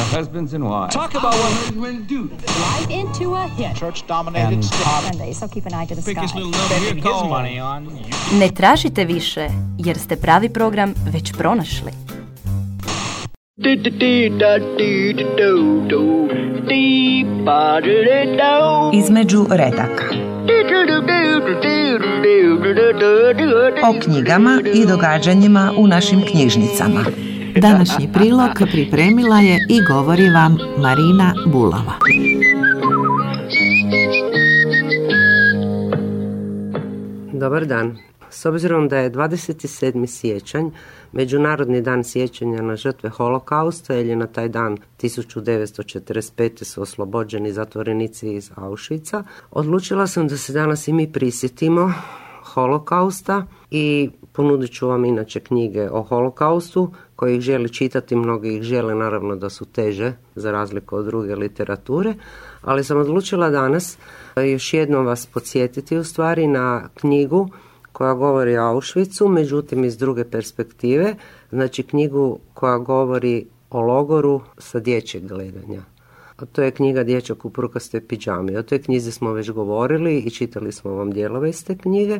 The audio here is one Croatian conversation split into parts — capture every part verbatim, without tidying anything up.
husbands and wives. Talk about what husbands do. Right into a hit. Church-dominated state. Sunday, so keep an eye to the Biggest sky. little number here his money on. Ne tražite više, jer ste pravi program već pronašli. Između redaka. O knjigama i događanjima u našim knjižnicama. Današnji prilog pripremila je i govori vam Marina Bulava. Dobar dan. S obzirom da je dvadeset sedmi siječanj, Međunarodni dan sjećanja na žrtve holokausta, jer je na taj dan tisuću devetsto četrdeset pete su oslobođeni zatvorenici iz Auschwitza, odlučila sam da se danas i mi prisjetimo holokausta i ponudit ću vam inače knjige o holokaustu koji ih želi čitati, mnogi ih žele, naravno da su teže za razliku od druge literature, ali sam odlučila danas još jednom vas podsjetiti u stvari na knjigu koja govori o Auschwitzu, međutim iz druge perspektive, znači knjigu koja govori o logoru sa dječjeg gledanja. A to je knjiga Dječak u prukastoj pidžami. O toj knjizi smo već govorili i čitali smo vam dijelove iz te knjige.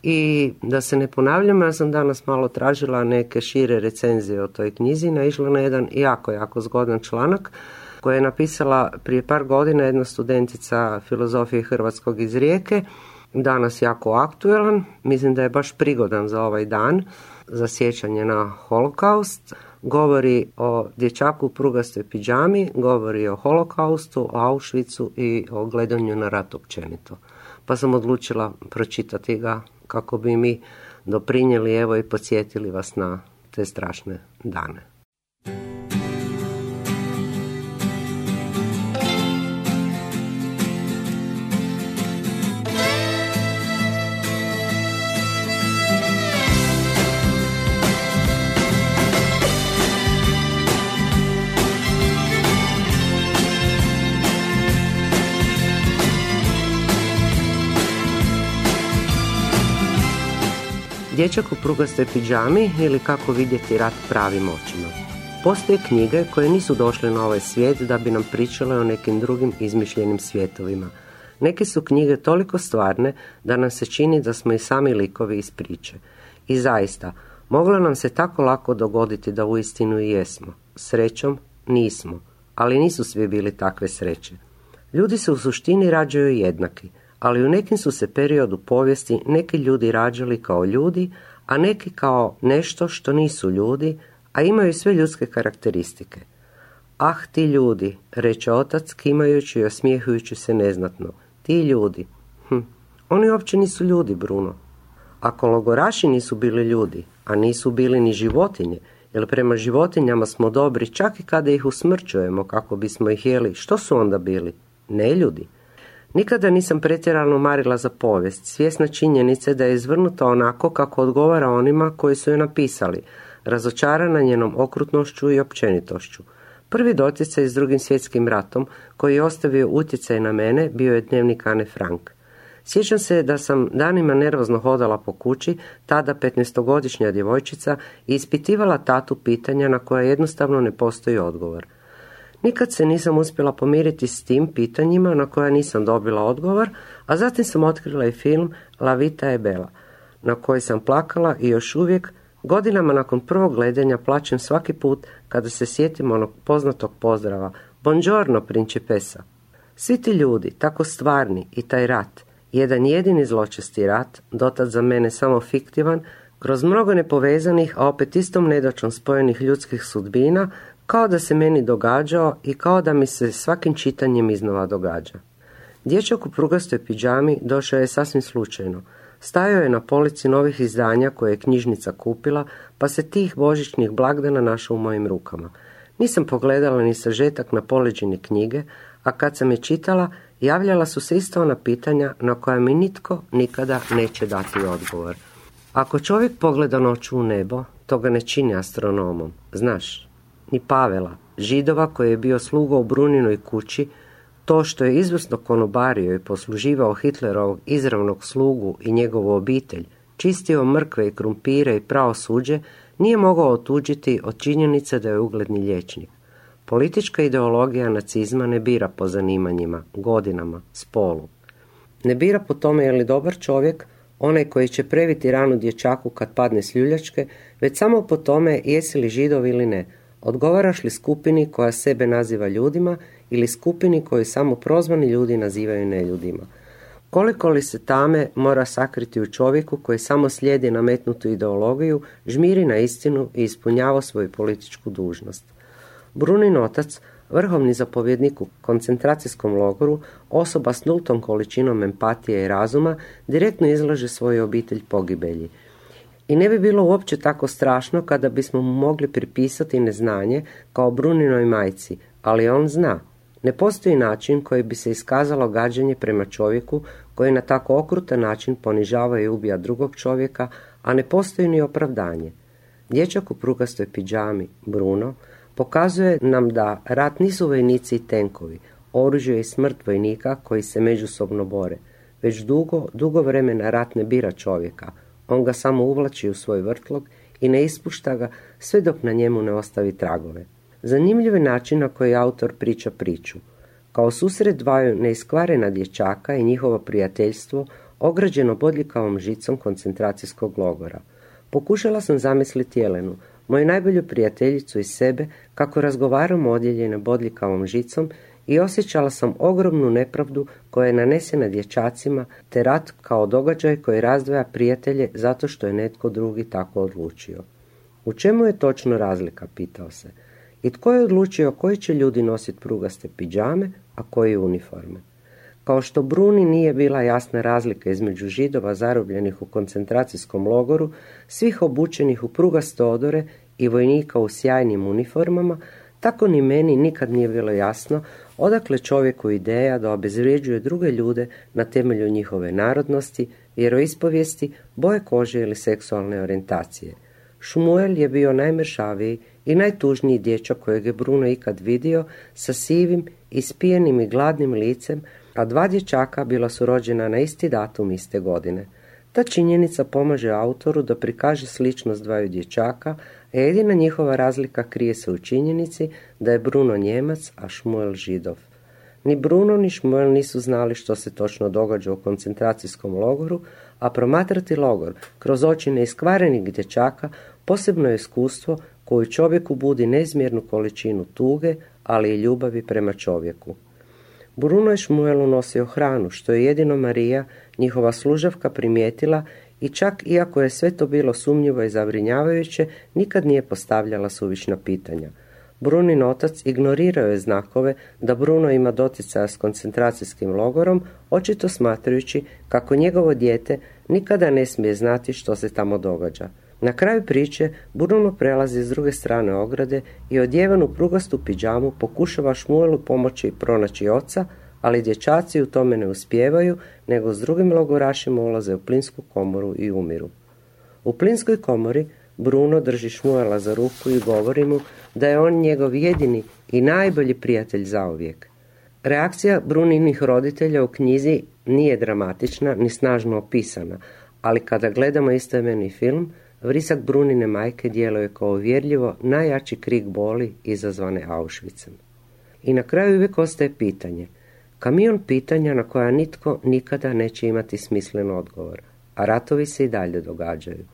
I da se ne ponavljam, ja sam danas malo tražila neke šire recenzije o toj knjizi, naišla na jedan jako, jako zgodan članak koji je napisala prije par godina jedna studentica filozofije hrvatskog iz Rijeke, danas jako aktuelan, mislim da je baš prigodan za ovaj dan, za sjećanje na holokaust. Govori o dječaku u prugastoj pidžami, govori o holokaustu, o Auschwitzu i o gledanju na rat općenito. Pa sam odlučila pročitati ga kako bi mi doprinijeli, evo, i podsjetili vas na te strašne dane. Dječak u prugastoj pidžami ili Kako vidjeti rat pravim očima. Postoje knjige koje nisu došle na ovaj svijet da bi nam pričale o nekim drugim izmišljenim svijetovima. Neke su knjige toliko stvarne da nam se čini da smo i sami likovi iz priče. I zaista, moglo nam se tako lako dogoditi da uistinu i jesmo. Srećom, nismo. Ali nisu svi bili takve sreće. Ljudi se u suštini rađaju jednaki, ali u nekim su se periodu povijesti neki ljudi rađali kao ljudi, a neki kao nešto što nisu ljudi, a imaju sve ljudske karakteristike. Ah, ti ljudi, reče otac, kimajući i osmijehujući se neznatno. Ti ljudi. Hm, oni uopće nisu ljudi, Bruno. Ako logoraši nisu bili ljudi, a nisu bili ni životinje, jer prema životinjama smo dobri čak i kada ih usmrćujemo kako bismo ih jeli, što su onda bili? Ne ljudi. Nikada nisam pretjerano marila za povijest, svjesna činjenice da je izvrnuta onako kako odgovara onima koji su je napisali, razočarana njenom okrutnošću i općenitošću. Prvi doticaj s Drugim svjetskim ratom, koji je ostavio utjecaj na mene, bio je dnevnik Ane Frank. Sjećam se da sam danima nervozno hodala po kući, tada petnaestogodišnja djevojčica, i ispitivala tatu pitanja na koja jednostavno ne postoji odgovor. Nikad se nisam uspjela pomiriti s tim pitanjima na koja nisam dobila odgovor, a zatim sam otkrila i film La Vita e Bella, na koji sam plakala i još uvijek, godinama nakon prvog gledanja, plačem svaki put kada se sjetim onog poznatog pozdrava Buongiorno, principessa. Svi ti ljudi, tako stvarni, i taj rat, jedan jedini zločesti rat, dotad za mene samo fiktivan, kroz mnogo nepovezanih, a opet istom nedaćom spojenih ljudskih sudbina, kao da se meni događao i kao da mi se svakim čitanjem iznova događa. Dječak u prugastoj pidžami došao je sasvim slučajno. Stajao je na polici novih izdanja koje je knjižnica kupila, pa se tih božićnih blagdana našao u mojim rukama. Nisam pogledala ni sažetak na poleđini knjige, a kad sam je čitala, javljala su se isto ona pitanja na koja mi nitko nikada neće dati odgovor. Ako čovjek pogleda noću u nebo, to ga ne čini astronomom, znaš. Ni Pavela, Židova koji je bio sluga u Bruninoj kući, to što je izvrsno konobario i posluživao Hitlerovog izravnog slugu i njegovu obitelj, čistio mrkve i krumpire i prao suđe, nije mogao otuđiti od činjenice da je ugledni liječnik. Politička ideologija nacizma ne bira po zanimanjima, godinama, spolu. Ne bira po tome je li dobar čovjek, onaj koji će previti ranu dječaku kad padne s ljuljačke, već samo po tome jesi li Židov ili ne, odgovaraš li skupini koja sebe naziva ljudima ili skupini koju samo prozvani ljudi nazivaju neljudima. Koliko li se tame mora sakriti u čovjeku koji samo slijedi nametnutu ideologiju, žmiri na istinu i ispunjava svoju političku dužnost. Brunin otac, vrhovni zapovjednik u koncentracijskom logoru, osoba s nultom količinom empatije i razuma, direktno izlaže svoju obitelj pogibelji. I ne bi bilo uopće tako strašno kada bismo mu mogli pripisati neznanje kao Bruninoj majci, ali on zna. Ne postoji način koji bi se iskazalo gađenje prema čovjeku koji na tako okrutan način ponižava i ubija drugog čovjeka, a ne postoji ni opravdanje. Dječak u prugastoj pidžami, Bruno, pokazuje nam da rat nisu vojnici i tenkovi, oružje i smrt vojnika koji se međusobno bore, već dugo, dugo vremena rat ne bira čovjeka, on ga samo uvlači u svoj vrtlog i ne ispušta ga sve dok na njemu ne ostavi tragove. Zanimljiv je način na koji autor priča priču. Kao susret dvaju neiskvarena dječaka i njihovo prijateljstvo ograđeno bodljikavom žicom koncentracijskog logora. Pokušala sam zamisliti Jelenu, moju najbolju prijateljicu i sebe, kako razgovaramo odjeljene bodljikavom žicom i osjećala sam ogromnu nepravdu koja je nanesena dječacima, te rat kao događaj koji razdvaja prijatelje zato što je netko drugi tako odlučio. U čemu je točno razlika, pitao se. I tko je odlučio koji će ljudi nositi prugaste pidžame, a koji uniforme? Kao što Bruni nije bila jasna razlika između Židova zarobljenih u koncentracijskom logoru, svih obučenih u prugaste odore i vojnika u sjajnim uniformama, tako ni meni nikad nije bilo jasno odakle čovjeku ideja da obezvređuje druge ljude na temelju njihove narodnosti, vjeroispovijesti, boje kože ili seksualne orijentacije. Šmuel je bio najmršaviji i najtužniji dječak kojeg je Bruno ikad vidio, sa sivim, ispijenim i gladnim licem, a dva dječaka bila su rođena na isti datum iste godine. Ta činjenica pomaže autoru da prikaže sličnost dvaju dječaka, a jedina njihova razlika krije se u činjenici da je Bruno Njemac, a Šmuel Židov. Ni Bruno ni Šmuel nisu znali što se točno događa u koncentracijskom logoru, a promatrati logor kroz oči neiskvarenih dječaka posebno je iskustvo koju čovjeku budi neizmjernu količinu tuge, ali i ljubavi prema čovjeku. Bruno je Šmuelu nosio hranu, što je jedino Marija, njihova služavka, primijetila i čak iako je sve to bilo sumnjivo i zabrinjavajuće, nikad nije postavljala suvišna pitanja. Brunin otac ignorirao je znakove da Bruno ima doticaja s koncentracijskim logorom, očito smatrajući kako njegovo dijete nikada ne smije znati što se tamo događa. Na kraju priče Bruno prelazi s druge strane ograde i odjeven u prugastu pidžamu pokušava Šmuelu pomoći pronaći oca, ali dječaci u tome ne uspijevaju, nego s drugim logorašima ulaze u plinsku komoru i umiru. U plinskoj komori Bruno drži Šmuela za ruku i govori mu da je on njegov jedini i najbolji prijatelj zauvijek. Reakcija Bruninih roditelja u knjizi nije dramatična ni snažno opisana, ali kada gledamo istoimeni film, vrisak Brunine majke djeluje kao uvjerljivo najjači krik boli izazvane Auschwitzem. I na kraju uvijek ostaje pitanje, kamion pitanja na koja nitko nikada neće imati smislen odgovor, a ratovi se i dalje događaju.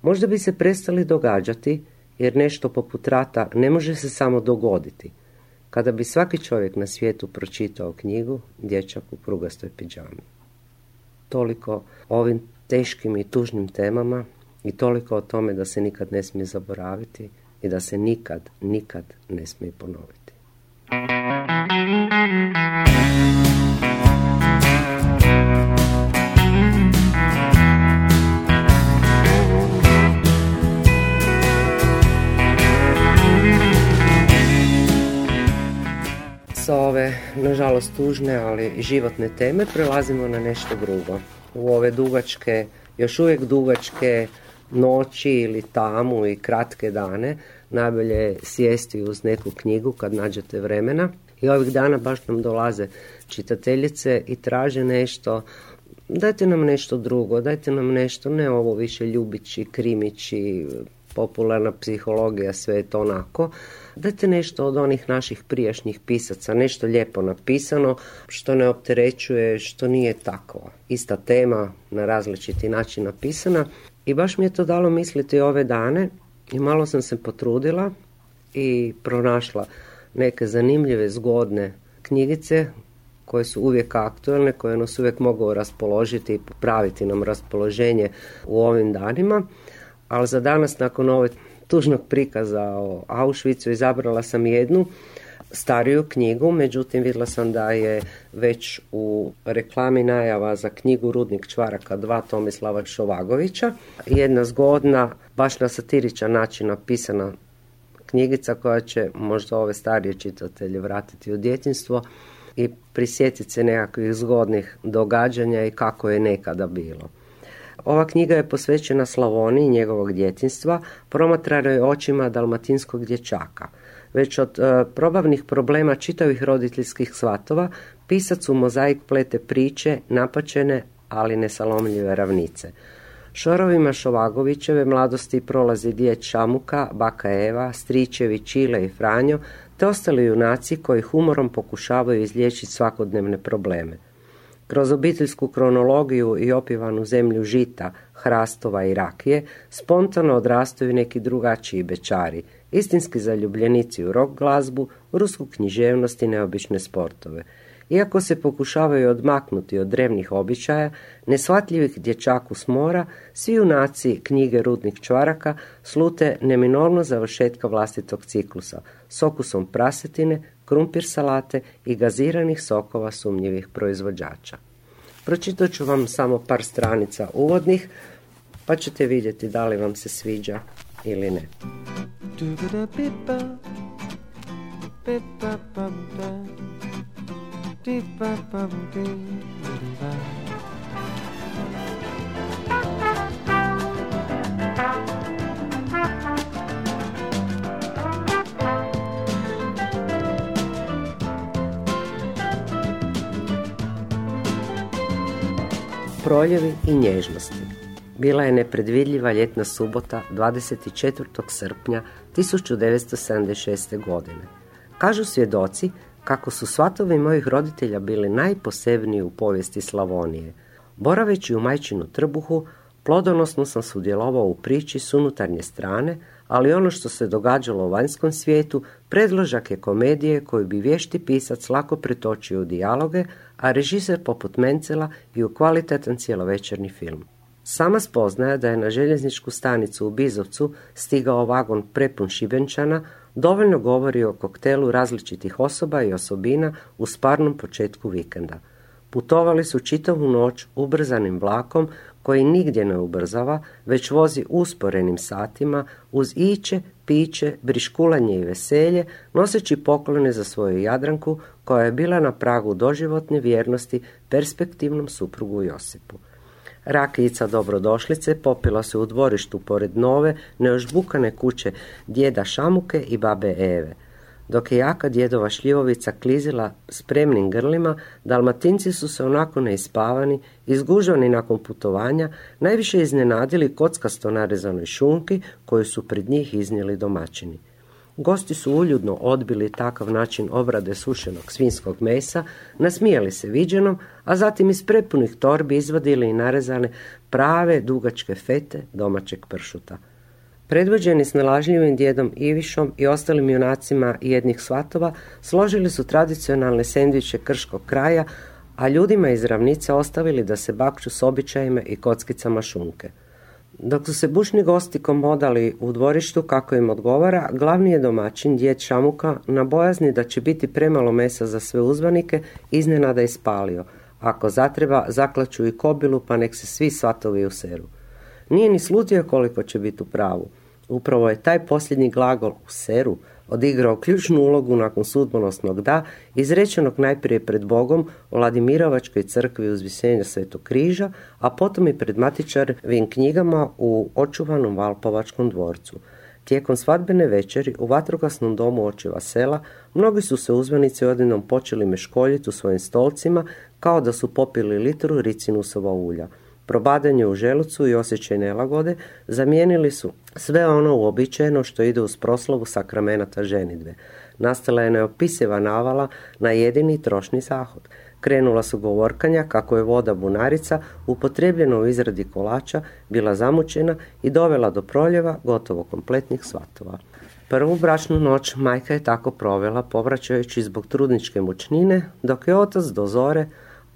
Možda bi se prestali događati, jer nešto poput rata ne može se samo dogoditi, kada bi svaki čovjek na svijetu pročitao knjigu Dječak u prugastoj pidžami. Toliko o ovim teškim i tužnim temama i toliko o tome da se nikad ne smije zaboraviti i da se nikad, nikad ne smije ponoviti. Sa ove, nažalost, tužne, ali životne teme prelazimo na nešto drugo. U ove dugačke, još uvijek dugačke noći ili tamu i kratke dane najbolje je sjesti uz neku knjigu kad nađete vremena. I ovih dana baš nam dolaze čitateljice i traže nešto, dajte nam nešto drugo, dajte nam nešto, ne ovo više ljubići, krimići, popularna psihologija, sve je to onako. Dajte nešto od onih naših prijašnjih pisaca, nešto lijepo napisano, što ne opterećuje, što nije tako. Ista tema, na različiti način napisana. I baš mi je to dalo misliti ove dane i malo sam se potrudila i pronašla neke zanimljive, zgodne knjigice koje su uvijek aktualne, koje nas uvijek mogu raspoložiti i popraviti nam raspoloženje u ovim danima. Ali za danas, nakon ove tužnog prikaza o Auschwitzu, izabrala sam jednu stariju knjigu, međutim vidjela sam da je već u reklami najava za knjigu Rudnik čvaraka dva Tomislava Šovagovića. Jedna zgodna, baš na satiričan način napisana knjigica koja će možda ove starije čitatelje vratiti u djetinjstvo i prisjetiti se nekakvih zgodnih događanja i kako je nekada bilo. Ova knjiga je posvećena Slavoniji, njegovog djetinjstva, promatranoj očima dalmatinskog dječaka. Već od e, probavnih problema čitavih roditeljskih svatova, pisac u mozaik plete priče, napačene, ali nesalomljive ravnice. Šorovima Šovagovićeve mladosti prolazi djed Šamuka, baka Eva, stričevi Čile i Franjo, te ostali junaci koji humorom pokušavaju izliječiti svakodnevne probleme. Kroz obiteljsku kronologiju i opivanu zemlju žita, hrastova i rakije, spontano odrastaju neki drugačiji bečari, istinski zaljubljenici u rock glazbu, rusku književnost i neobične sportove. Iako se pokušavaju odmaknuti od drevnih običaja, neshvatljivih dječaku s mora, svi junaci knjige Rudnik čvaraka slute neminovno završetka vlastitog ciklusa, s okusom prasetine, krumpir salate i gaziranih sokova sumnjivih proizvođača. Pročitat ću vam samo par stranica uvodnih, pa ćete vidjeti da li vam se sviđa ili ne. Proljevi i nježnosti. Bila je nepredvidljiva ljetna subota dvadeset četvrtog srpnja tisuću devetsto sedamdeset šeste. godine. Kažu svjedoci kako su svatovi mojih roditelja bili najposebniji u povijesti Slavonije. Boraveći u majčinu trbuhu, plodonosno sam sudjelovao u priči s unutarnje strane, ali ono što se događalo u vanjskom svijetu predložak je komedije koju bi vješti pisac lako pretočio u dijaloge, a režiser poput Mencela i u kvalitetan cjelovečerni film. Sama spoznaja da je na željezničku stanicu u Bizovcu stigao vagon prepun Šibenčana dovoljno govori o koktelu različitih osoba i osobina u sparnom početku vikenda. Putovali su čitavu noć ubrzanim vlakom koji nigdje ne ubrzava, već vozi usporenim satima uz iće, piće, briškulanje i veselje, noseći poklone za svoju Jadranku koja je bila na pragu doživotne vjernosti perspektivnom suprugu Josipu. Rakijica dobrodošlice popila se u dvorištu pored nove, neožbukane kuće djeda Šamuke i babe Eve. Dok je jaka djedova šljivovica klizila spremnim grlima, Dalmatinci su se onako neispavani, izgužvani nakon putovanja, najviše iznenadili kockasto narezanoj šunki koju su pred njih iznijeli domaćini. Gosti su uljudno odbili takav način obrade sušenog svinjskog mesa, nasmijali se viđenom, a zatim iz prepunih torbi izvadili i narezane prave dugačke fete domaćeg pršuta. Predvođeni snalažljivim djedom Ivišom i ostalim junacima jednih svatova, složili su tradicionalne sendviče krškog kraja, a ljudima iz ravnice ostavili da se bakću s običajima i kockicama šunke. Dok su se bušni gosti komodali u dvorištu kako im odgovara, glavni je domaćin, djed Šamuka, na bojazni da će biti premalo mesa za sve uzvanike, iznenada ispalio. Ako zatreba, zaklaću i kobilu, pa nek se svi svatovi useru. Nije ni slutio koliko će biti u pravu. Upravo je taj posljednji glagol useru odigrao ključnu ulogu nakon sudbonosnog da, izrečenog najprije pred Bogom u Vladimirovačkoj crkvi Uzvišenja Svetog križa, a potom i pred matičarovim knjigama u očuvanom Valpovačkom dvorcu. Tijekom svadbene večeri u vatrogasnom domu očeva sela mnogi su se uzvanici odjednom počeli meškoljiti u svojim stolcima kao da su popili litru ricinusova ulja. probadanje u želucu i osjećaj nelagode zamijenili su sve ono uobičajeno što ide uz proslavu sakramenata ženidbe. Nastala je neopisiva navala na jedini trošni zahod. Krenula su govorkanja kako je voda bunarica, upotrebljena u izradi kolača, bila zamućena i dovela do proljeva gotovo kompletnih svatova. Prvu bračnu noć majka je tako provela povraćajući zbog trudničke mučnine, dok je otac do zore,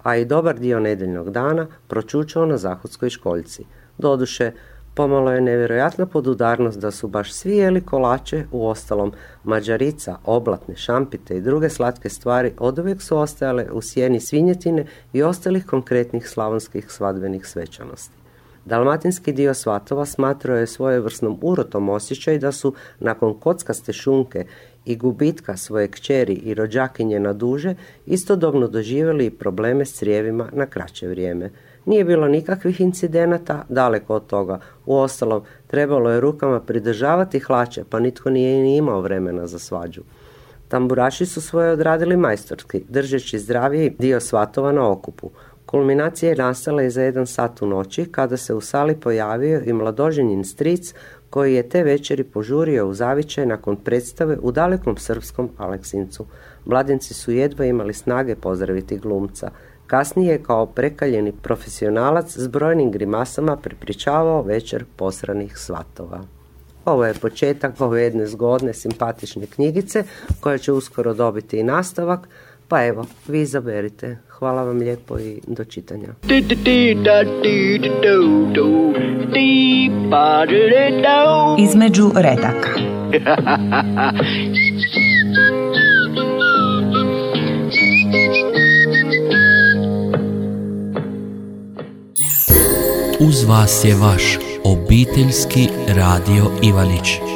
a i dobar dio nedjeljnog dana, pročučao na zahodskoj školjci. Doduše, pomalo je nevjerojatna podudarnost da su baš svi jeli kolače, uostalom mađarica, oblatne, šampite i druge slatke stvari oduvijek su ostajale u sjeni svinjetine i ostalih konkretnih slavonskih svadbenih svečanosti. Dalmatinski dio svatova smatrao je svojevrsnom urotom osjećaj da su nakon kockaste šunke i gubitka svoje kćeri i rođakinje na duže istodobno doživjeli i probleme s crijevima na kraće vrijeme. Nije bilo nikakvih incidenata, daleko od toga. Uostalom, trebalo je rukama pridržavati hlače, pa nitko nije ni imao vremena za svađu. Tamburaši su svoje odradili majstorski, držeći zdraviji dio svatova na okupu. Kulminacija je nastala i za jedan sat u noći, kada se u sali pojavio i mladoženjin stric, koji je te večeri požurio u zavičaj nakon predstave u dalekom srpskom Aleksincu. Mladenci su jedva imali snage pozdraviti glumca. Kasnije je kao prekaljeni profesionalac s brojnim grimasama prepričavao večer posranih svatova. Ovo je početak ove jedne zgodne, simpatične knjigice, koja će uskoro dobiti i nastavak, pa evo, vi izaberite. Hvala vam lijepo i do čitanja. Između redaka. Uz vas je vaš obiteljski radio Ivanić.